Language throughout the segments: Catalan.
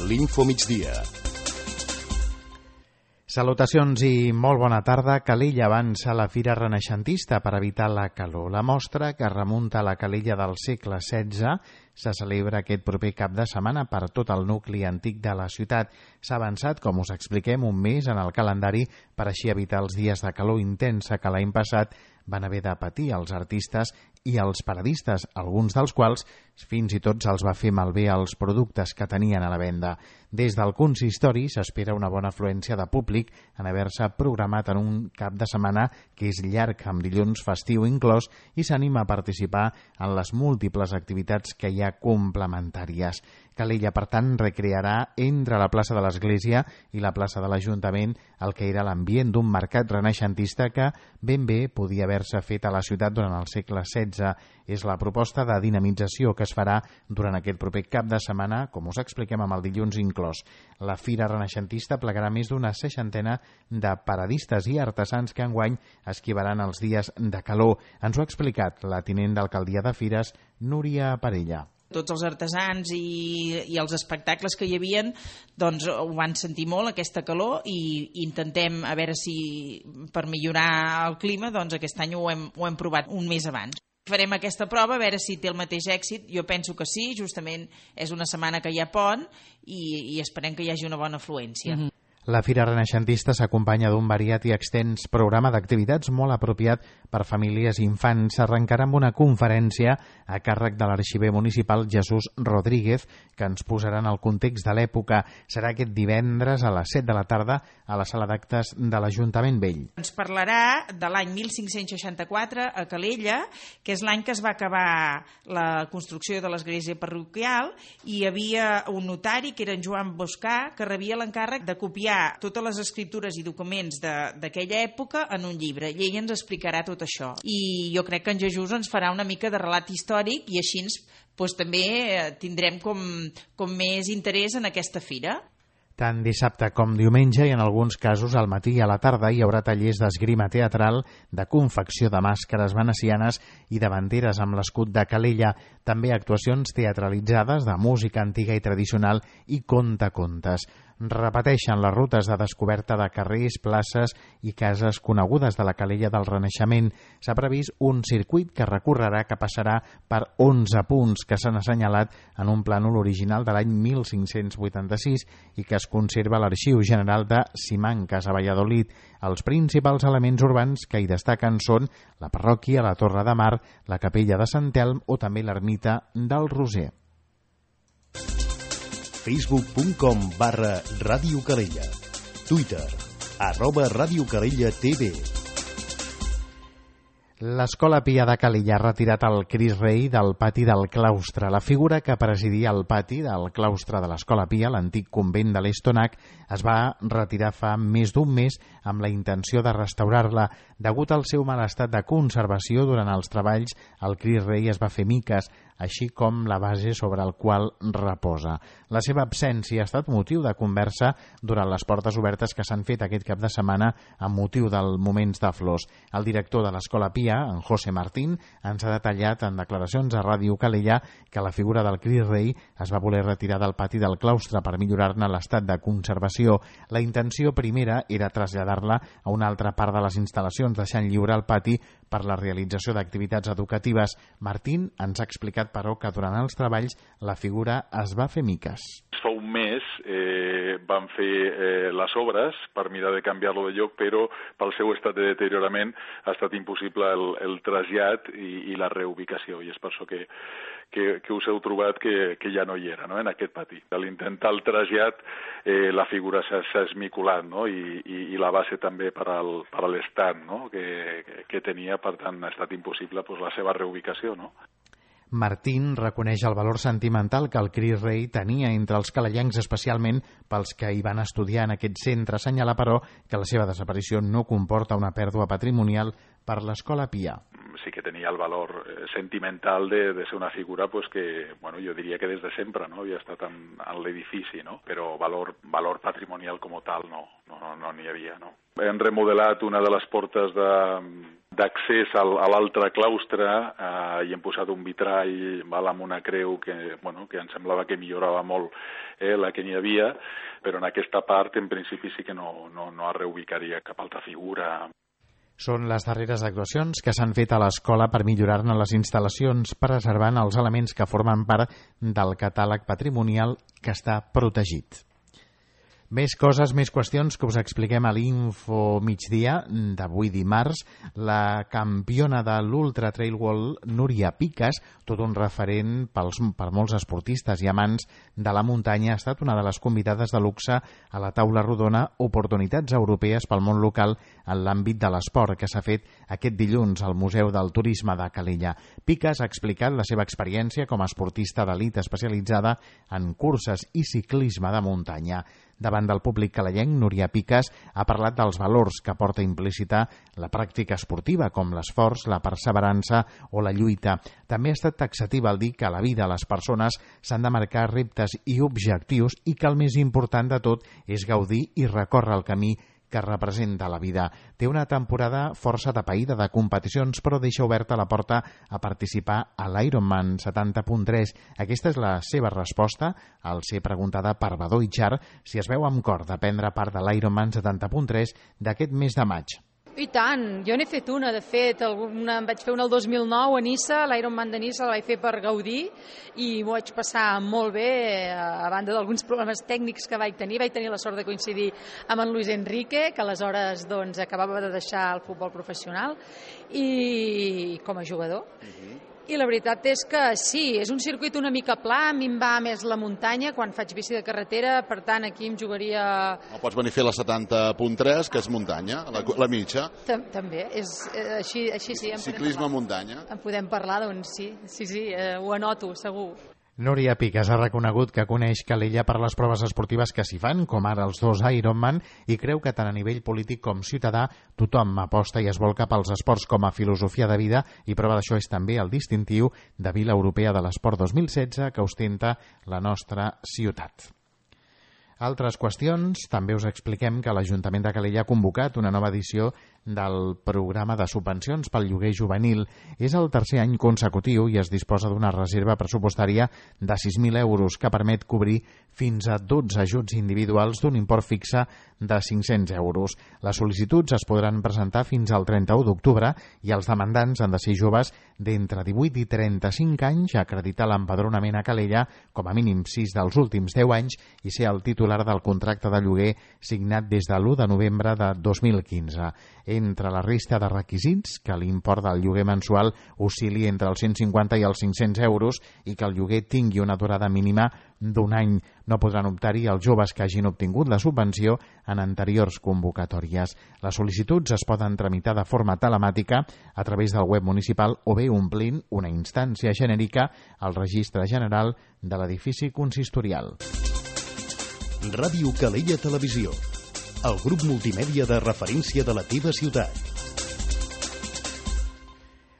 l'Info Migdia. Salutacions i molt bona tarda. Calella avança la Fira Renaixentista per evitar la calor. La mostra, que remunta a la Calella del segle XVI, se celebra aquest proper cap de setmana per tot el nucli antic de la ciutat. S'ha avançat, com us expliquem, un mes en el calendari per així evitar els dies de calor intensa que l'any passat van haver de patir els artistes i els paradistes, alguns dels quals fins i tot se'ls va fer malbé els productes que tenien a la venda. Des del consistori s'espera una bona afluència de públic en haver-se programat en un cap de setmana que és llarg, amb dilluns festiu inclòs, i s'anima a participar en les múltiples activitats que hi ha complementàries. Calella, per tant, recrearà entre la plaça de l'Església i la plaça de l'Ajuntament el que era l'ambient d'un mercat renaixentista que ben bé podia haver-se fet a la ciutat durant el segle XVI. És la proposta de dinamització que es farà durant aquest proper cap de setmana, com us expliquem amb el dilluns inclòs. La Fira Renaixentista plegarà més d'una 60 de paradistes i artesans que enguany esquivaran els dies de calor. Ens ho ha explicat la tinent d'alcaldia de Fires, Núria Parella. Tots els artesans i els espectacles que hi havien doncs ho van sentir molt, aquesta calor, i intentem a veure si per millorar el clima doncs aquest any ho hem provat un mes abans. Farem aquesta prova a veure si té el mateix èxit. Jo penso que sí, justament és una setmana que hi ha pont i esperem que hi hagi una bona afluència. La Fira Renaixentista s'acompanya d'un variat i extens programa d'activitats molt apropiat per famílies i infants. S'arrencarà amb una conferència a càrrec de l'arxiver municipal Jesús Rodríguez, que ens posarà en el context de l'època. Serà aquest divendres a les 7 de la tarda a la sala d'actes de l'Ajuntament Vell. Ens parlarà de l'any 1564 a Calella, que és l'any que es va acabar la construcció de l'església parroquial, i hi havia un notari, que era en Joan Boscà, que rebia l'encàrrec de copiar totes les escriptures i documents d'aquella època en un llibre, i ell ens explicarà tot això. I jo crec que en Jesús ens farà una mica de relat històric i així també tindrem com més interès en aquesta fira. Tant dissabte com diumenge i en alguns casos al matí i a la tarda hi haurà tallers d'esgrima teatral, de confecció de màscares venecianes i de banderes amb l'escut de Calella, també actuacions teatralitzades de música antiga i tradicional i contacontes. Repeteixen les rutes de descoberta de carrers, places i cases conegudes de la Calella del Renaixement. S'ha previst un circuit que recorrerà, que passarà per 11 punts que s'han assenyalat en un plànol original de l'any 1586 i que es conserva a l'Arxiu General de Simancas, a Valladolid. Els principals elements urbans que hi destaquen són la parròquia, la Torre de Mar, la capella de Sant Elm o també l'ermita del Roser. Facebook.com/Ràdio Calella. Twitter @Ràdio Calella TV. L'Escola Pia de Calella ha retirat el Crist Rei del pati del claustre. La figura que presidia el pati del claustre de l'Escola Pia, l'antic convent de l'Estonac, es va retirar fa més d'un mes amb la intenció de restaurar-la. Degut al seu mal estat de conservació durant els treballs, el Crist Rei es va fer miques, així com la base sobre el qual reposa. La seva absència ha estat motiu de conversa durant les portes obertes que s'han fet aquest cap de setmana amb motiu dels Moments de Flors. El director de l'Escola Pia, en José Martín, ens ha detallat en declaracions a Ràdio Calella que la figura del Crist Rei es va voler retirar del pati del claustre per millorar-ne l'estat de conservació. La intenció primera era traslladar-la a una altra part de les instal·lacions, deixant lliure el pati per la realització d'activitats educatives. Martín ens ha explicat, però, que durant els treballs la figura es va fer miques. Fa un mes van fer les obres per mirar de canviar-lo de lloc, però pel seu estat de deteriorament ha estat impossible el trasllat i la reubicació, i és per això que us heu trobat que ja no hi era, no?, en aquest pati. A l'intentar el trasllat la figura s'ha esmicolat, no?, i la base també per a l'estat, no?, que tenia, per tant ha estat impossible la seva reubicació, no? Martín reconeix el valor sentimental que el Crist Rei tenia entre els calellencs, especialment pels que hi van estudiar en aquest centre. Assenyala, però, que la seva desaparició no comporta una pèrdua patrimonial per l'Escola Pia. Sí que tenia el valor sentimental de ser una figura que, jo diria que des de sempre, no?, havia estat en l'edifici, no?, però valor patrimonial com tal no n'hi havia, no. Hem remodelat una de les portes d'accés a l'altre claustre i hem posat un vitrall amb una creu que em semblava que millorava molt la que n'hi havia, però en aquesta part en principi sí que no es reubicaria cap altra figura. Són les darreres actuacions que s'han fet a l'escola per millorar-ne les instal·lacions, preservant els elements que formen part del catàleg patrimonial que està protegit. Més coses, més qüestions que us expliquem a l'Info Migdia d'avui dimarts. La campiona de l'Ultra Trail World, Núria Piques, tot un referent per molts esportistes i amants de la muntanya, ha estat una de les convidades de luxe a la taula rodona Oportunitats Europees pel món local en l'àmbit de l'esport, que s'ha fet aquest dilluns al Museu del Turisme de Calella. Piques ha explicat la seva experiència com a esportista d'elit especialitzada en curses i ciclisme de muntanya. Davant del públic calellenc, Núria Piques ha parlat dels valors que porta implícita la pràctica esportiva, com l'esforç, la perseverança o la lluita. També ha estat taxativa al dir que a la vida les persones s'han de marcar reptes i objectius i que el més important de tot és gaudir i recórrer el camí que representa la vida. Té una temporada força atapeïda de competicions, però deixa oberta la porta a participar a l'Ironman 70.3. Aquesta és la seva resposta al ser preguntada per Badó Itxar si es veu amb cor de prendre part de l'Ironman 70.3 d'aquest mes de maig. I tant, jo n'he fet una, de fet, em vaig fer una el 2009 a Niça, l'Ironman de Niça la vaig fer per gaudir i m'ho vaig passar molt bé, a banda d'alguns problemes tècnics que vaig tenir la sort de coincidir amb en Luis Enrique, que aleshores acabava de deixar el futbol professional i com a jugador. I la veritat és que sí, és un circuit una mica pla, a mi em va més la muntanya quan faig bici de carretera, per tant aquí em jugaria... O pots venir a fer la 70.3, que és muntanya, la mitja. També, així sí. Ciclisme muntanya. En podem parlar, doncs sí, ho anoto, segur. Núria Piques ha reconegut que coneix Calella per les proves esportives que s'hi fan, com ara els 2 Ironman, i creu que tant a nivell polític com ciutadà tothom aposta i es vol cap als esports com a filosofia de vida, i prova d'això és també el distintiu de Vila Europea de l'Esport 2016 que ostenta la nostra ciutat. Altres qüestions, també us expliquem que l'Ajuntament de Calella ha convocat una nova edició del programa de subvencions pel lloguer juvenil. És el tercer any consecutiu i es disposa d'una reserva pressupostària de 6.000 euros que permet cobrir fins a 12 ajuts individuals d'un import fixe de 500 euros. Les sol·licituds es podran presentar fins al 31 d'octubre i els demandants han de ser joves d'entre 18 i 35 anys, acreditar l'empadronament a Calella com a mínim 6 dels últims 10 anys i ser el titular del contracte de lloguer signat des de l'1 de novembre de 2015. Entre la resta de requisits, que l'import del lloguer mensual oscil·li entre els 150 i els 500 euros i que el lloguer tingui una durada mínima d'un any. No podran optar-hi els joves que hagin obtingut la subvenció en anteriors convocatòries. Les sol·licituds es poden tramitar de forma telemàtica a través del web municipal o bé omplint una instància genèrica al Registre General de l'edifici consistorial. Ràdio Calella Televisió, el grup multimèdia de referència de la teva ciutat.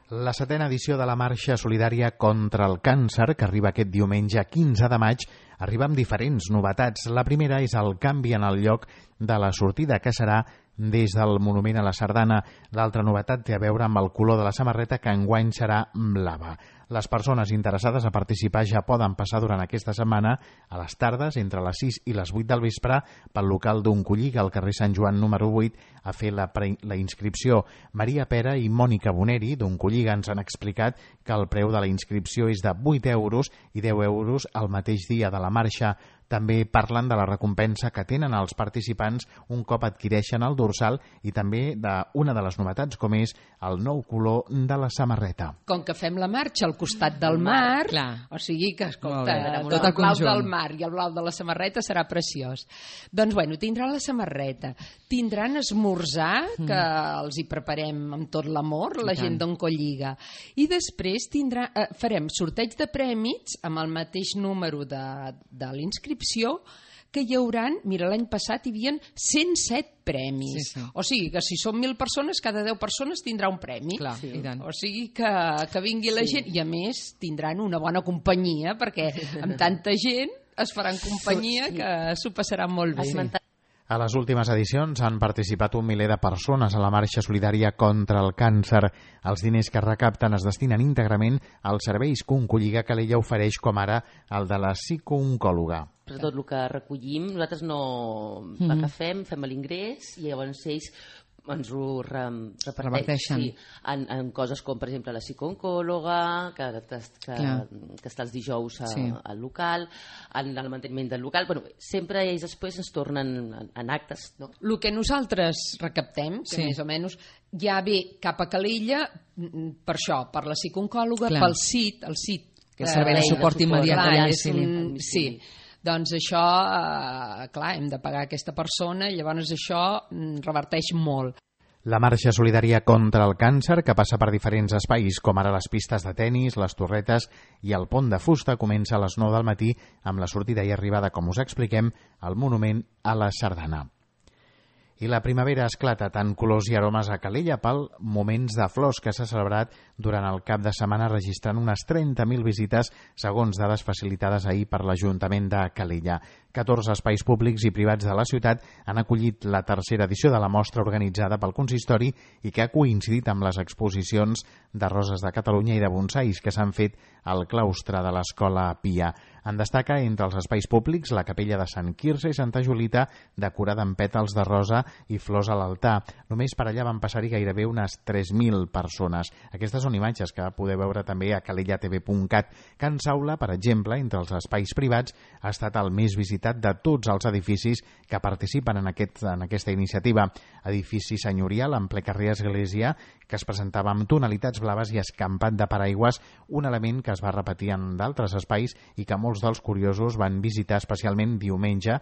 La 7a edició de la Marxa Solidària contra el Càncer, que arriba aquest diumenge 15 de maig, arriba amb diferents novetats. La primera és el canvi en el lloc de la sortida, que serà des del Monument a la Sardana. L'altra novetat té a veure amb el color de la samarreta, que enguany serà blava. Les persones interessades a participar ja poden passar durant aquesta setmana a les tardes, entre les 6 i les 8 del vespre, pel local d'Oncolliga, al carrer Sant Joan número 8, a fer la inscripció. Maria Pera i Mònica Boneri, d'Oncolliga, ens han explicat que el preu de la inscripció és de 8 euros i 10 euros el mateix dia de la marxa. També parlen de la recompensa que tenen els participants un cop adquireixen el dorsal i també d'una de les novetats, com és el nou color de la samarreta. Com que fem la marxa al costat del mar, o sigui que, escolta, el blau del mar i el blau de la samarreta serà preciós. Doncs, bueno, tindran la samarreta, tindran esmorzar, que els hi preparem amb tot l'amor, la gent d'Oncolliga, i després farem sorteig de prèmits amb el mateix número de l'inscripció, que hi hauran, mira, l'any passat hi havia 107 premis. Sí. O sigui que si són 1.000 persones, cada 10 persones tindrà un premi. Clar, sí. O sigui que vingui la gent i a més tindran una bona companyia, perquè amb tanta gent es faran companyia que s'ho passaran molt bé. A les últimes edicions han participat 1 miler de persones a la marxa solidària contra el càncer. Els diners que recapten es destinen íntegrament als serveis que Oncolliga Calella ofereix, com ara el de la psicooncòloga. Tot el que recollim, nosaltres no agafem, fem l'ingrés i llavors ells ens ho reparteixen en coses com, per exemple, la psicooncòloga, que està els dijous al local, en el manteniment del local. Bueno, sempre ells després ens tornen en actes. No? El que nosaltres recaptem, que més o menys ja ve cap a Calella, per això, per la psicooncòloga, pel CIT, que és Servei de Suport Immediat. Sí. Doncs això, clar, hem de pagar aquesta persona i llavors això reverteix molt. La marxa solidària contra el càncer, que passa per diferents espais, com ara les pistes de tennis, les torretes i el pont de fusta, comença a les 9 del matí amb la sortida i arribada, com us expliquem, al monument a la Sardana. I la primavera esclata tant colors i aromes a Calella pel Moments de Flors, que s'ha celebrat durant el cap de setmana registrant unes 30.000 visites, segons dades facilitades ahir per l'Ajuntament de Calella. 14 espais públics i privats de la ciutat han acollit la tercera edició de la mostra organitzada pel consistori i que ha coincidit amb les exposicions de Roses de Catalunya i de bonsais que s'han fet al claustre de l'Escola Pia. En destaca entre els espais públics la capella de Sant Quirze i Santa Julita, decorada amb pètals de rosa i flors a l'altar. Només per allà van passar-hi gairebé unes 3.000 persones. Aquestes són imatges que podeu veure també a calellatv.cat. Can Saula, per exemple, entre els espais privats, ha estat el més visitat de tots els edificis que participen en aquesta iniciativa. Edifici senyorial en ple carrer Església, que es presentava amb tonalitats blaves i escampat de paraigües, un element que es va repetir en d'altres espais i que molts dels curiosos van visitar especialment diumenge,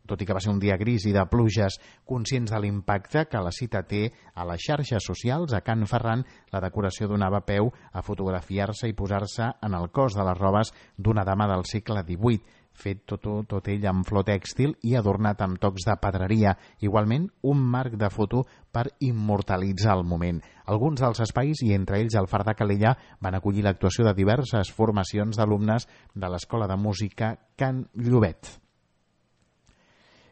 tot i que va ser un dia gris i de pluges, conscients de l'impacte que la cita té a les xarxes socials. A Can Ferran, la decoració donava peu a fotografiar-se i posar-se en el cos de les robes d'una dama del segle XVIII, fet tot ell amb flor tèxtil i adornat amb tocs de pedreria. Igualment, un marc de foto per immortalitzar el moment. Alguns dels espais, i entre ells el Far de Calella, van acollir l'actuació de diverses formacions d'alumnes de l'Escola de Música Can Llobet.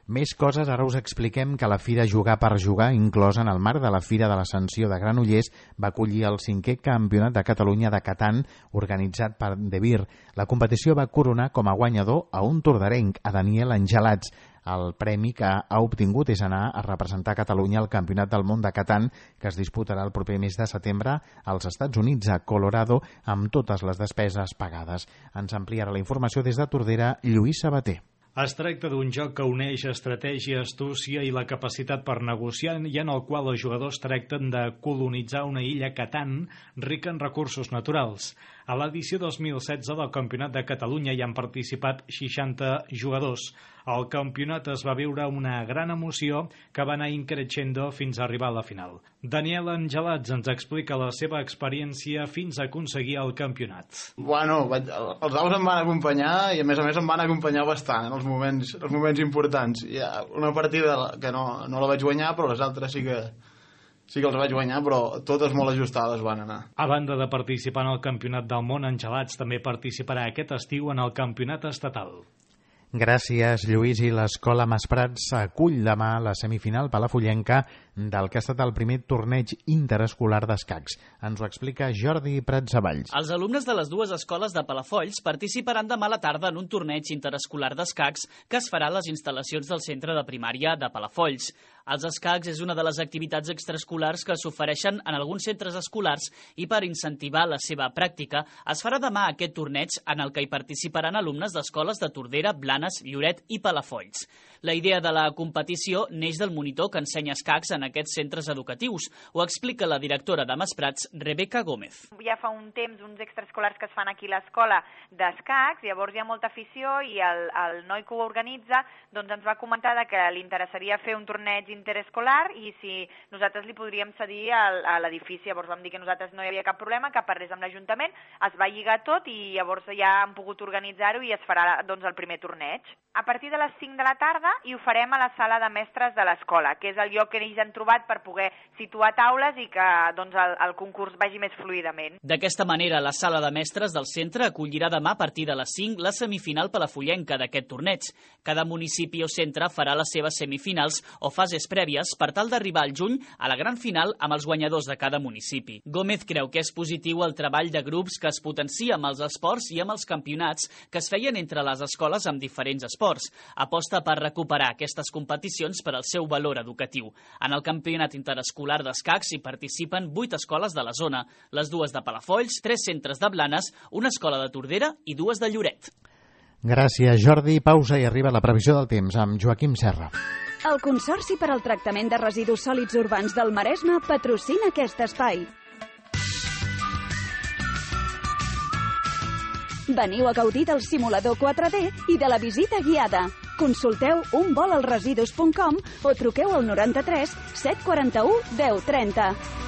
Més coses, ara us expliquem que la Fira Jugar per Jugar, inclosa en el marc de la Fira de l'Ascensió de Granollers, va acollir el 5è Campionat de Catalunya de Catan, organitzat per De Vir. La competició va coronar com a guanyador a un tordarenc, a Daniel Angelats. El premi que ha obtingut és anar a representar Catalunya al Campionat del Món de Catan, que es disputarà el proper mes de setembre als Estats Units, a Colorado, amb totes les despeses pagades. Ens ampliarà la informació des de Tordera, Lluís Sabater. Es tracta d'un joc que uneix estratègia, astúcia i la capacitat per negociar i en el qual els jugadors tracten de colonitzar una illa Catan rica en recursos naturals. A l'edició 2016 del Campionat de Catalunya hi han participat 60 jugadors. Al campionat es va viure una gran emoció que va anar increixendo fins a arribar a la final. Daniel Angelats ens explica la seva experiència fins a aconseguir el campionat. Bueno, els daus em van acompanyar i a més em van acompanyar bastant en els moments importants. Hi ha una partida que no la vaig guanyar, però les altres sí que els vaig guanyar, però totes molt ajustades van anar. A banda de participar en el Campionat del Món, Angelats també participarà aquest estiu en el Campionat Estatal. Gràcies, Lluís. I l'Escola Masprats acull demà la semifinal palafrugellana del que ha estat el primer torneig interescolar d'escacs. Ens ho explica Jordi Prats Avalls. Els alumnes de les dues escoles de Palafolls participaran demà a la tarda en un torneig interescolar d'escacs que es farà a les instal·lacions del centre de primària de Palafolls. Els escacs és una de les activitats extraescolars que s'ofereixen en alguns centres escolars i per incentivar la seva pràctica es farà demà aquest torneig en el que hi participaran alumnes d'escoles de Tordera, Blanes, Lloret i Palafolls. La idea de la competició neix del monitor que ensenya escacs en aquests centres educatius. Ho explica la directora de Masprats, Rebeca Gómez. Ja fa un temps uns extraescolars que es fan aquí a l'escola d'escacs, llavors hi ha molta afició i el noi que ho organitza doncs ens va comentar que li interessaria fer un torneig interescolar i si nosaltres li podríem cedir a l'edifici. Llavors vam dir que nosaltres no hi havia cap problema, que parlés amb l'Ajuntament, es va lligar tot i llavors ja han pogut organitzar-ho i es farà doncs el primer torneig. a partir de les 5 de la tarda i ho farem a la sala de mestres de l'escola, que és el lloc que ells han trobat per poder situar taules i que doncs, el concurs vagi més fluidament. D'aquesta manera, la sala de mestres del centre acollirà demà a partir de les 5 la semifinal palafrugellenta d'aquest torneig. Cada municipi o centre farà les seves semifinals o fases prèvies per tal d'arribar al juny a la gran final amb els guanyadors de cada municipi. Gómez creu que és positiu el treball de grups que es potencia amb els esports i amb els campionats que es feien entre les escoles amb diferents esports. Aposta per recuperar aquestes competicions per al seu valor educatiu. En el campionat interescolar d'escacs hi participen 8 escoles de la zona, les 2 de Palafolls, 3 centres de Blanes, una escola de Tordera i 2 de Lloret. Gràcies, Jordi. Pausa i arriba la previsió del temps amb Joaquim Serra. El Consorci per al Tractament de Residus Sòlids Urbans del Maresme patrocina aquest espai. Veniu a gaudir del simulador 4D i de la visita guiada. Consulteu unvolalresidus.com o truqueu al 93 741 1030.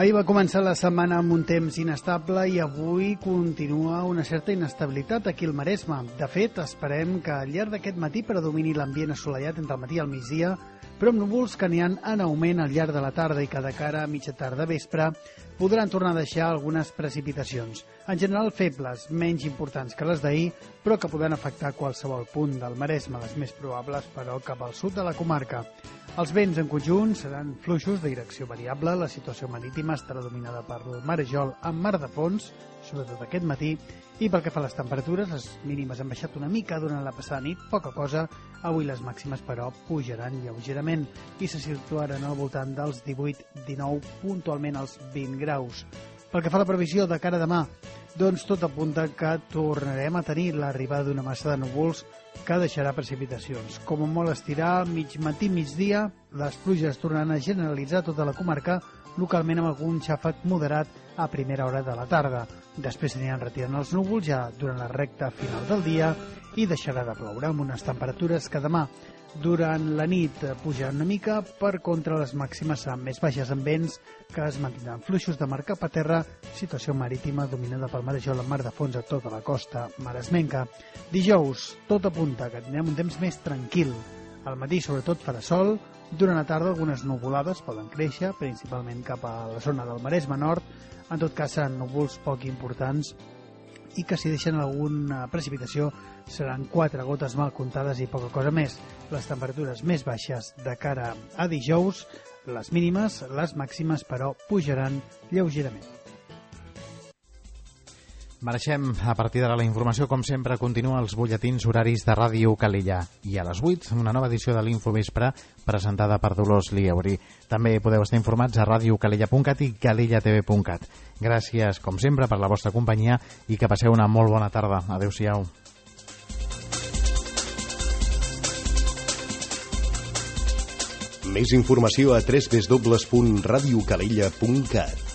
Ahir va començar la setmana amb un temps inestable i avui continua una certa inestabilitat aquí al Maresme. De fet, esperem que al llarg d'aquest matí predomini l'ambient assolellat entre el matí i el migdia, però amb núvols que n'hi ha en augment al llarg de la tarda i que de cara a mitja tarda vespre podran tornar a deixar algunes precipitacions. En general febles, menys importants que les d'ahir, però que poden afectar qualsevol punt del Maresme, les més probables, però cap al sud de la comarca. Els vents en conjunt seran fluixos de direcció variable, la situació marítima estarà dominada per el marejol amb mar de fons, sobretot aquest matí, i pel que fa a les temperatures, les mínimes han baixat una mica durant la passada nit, poca cosa. Avui les màximes, però, pujaran lleugerament i se situaran al voltant dels 18-19, puntualment als 20 graus. Pel que fa a la previsió de cara a demà, doncs tot apunta que tornarem a tenir l'arribada d'una massa de núvols que deixarà precipitacions. Com a molt estirar, mig matí, migdia, les pluges tornaran a generalitzar tota la comarca, localment amb algun xàfec moderat a primera hora de la tarda. Després s'aniran retirant els núvols ja durant la recta final del dia i deixarà de ploure amb unes temperatures que demà durant la nit pujaran una mica, per contra les màximes seran més baixes amb vents que es mantindran fluixos de mar cap a terra, situació marítima dominada pel marejol amb mar de fons a tota la costa maresmenca. Dijous, tot apunta que tindrem un temps més tranquil. Al matí sobretot farà sol, durant la tarda algunes nuvolades poden créixer, principalment cap a la zona del Maresme Nord. En tot cas seran núvols poc importants i que si deixen alguna precipitació seran 4 gotes mal comptades i poca cosa més. Les temperatures més baixes de cara a dijous, les mínimes, les màximes però pujaran lleugerament. Marxem a partir d'ara la informació, com sempre, continua els butlletins horaris de Ràdio Calella. I a les 8, una nova edició de l'Infovespre presentada per Dolors Lieuri. També podeu estar informats a radiocalella.cat i calellatv.cat. Gràcies, com sempre, per la vostra companyia i que passeu una molt bona tarda. Adéu-siau. Més informació a www.radiocalella.cat.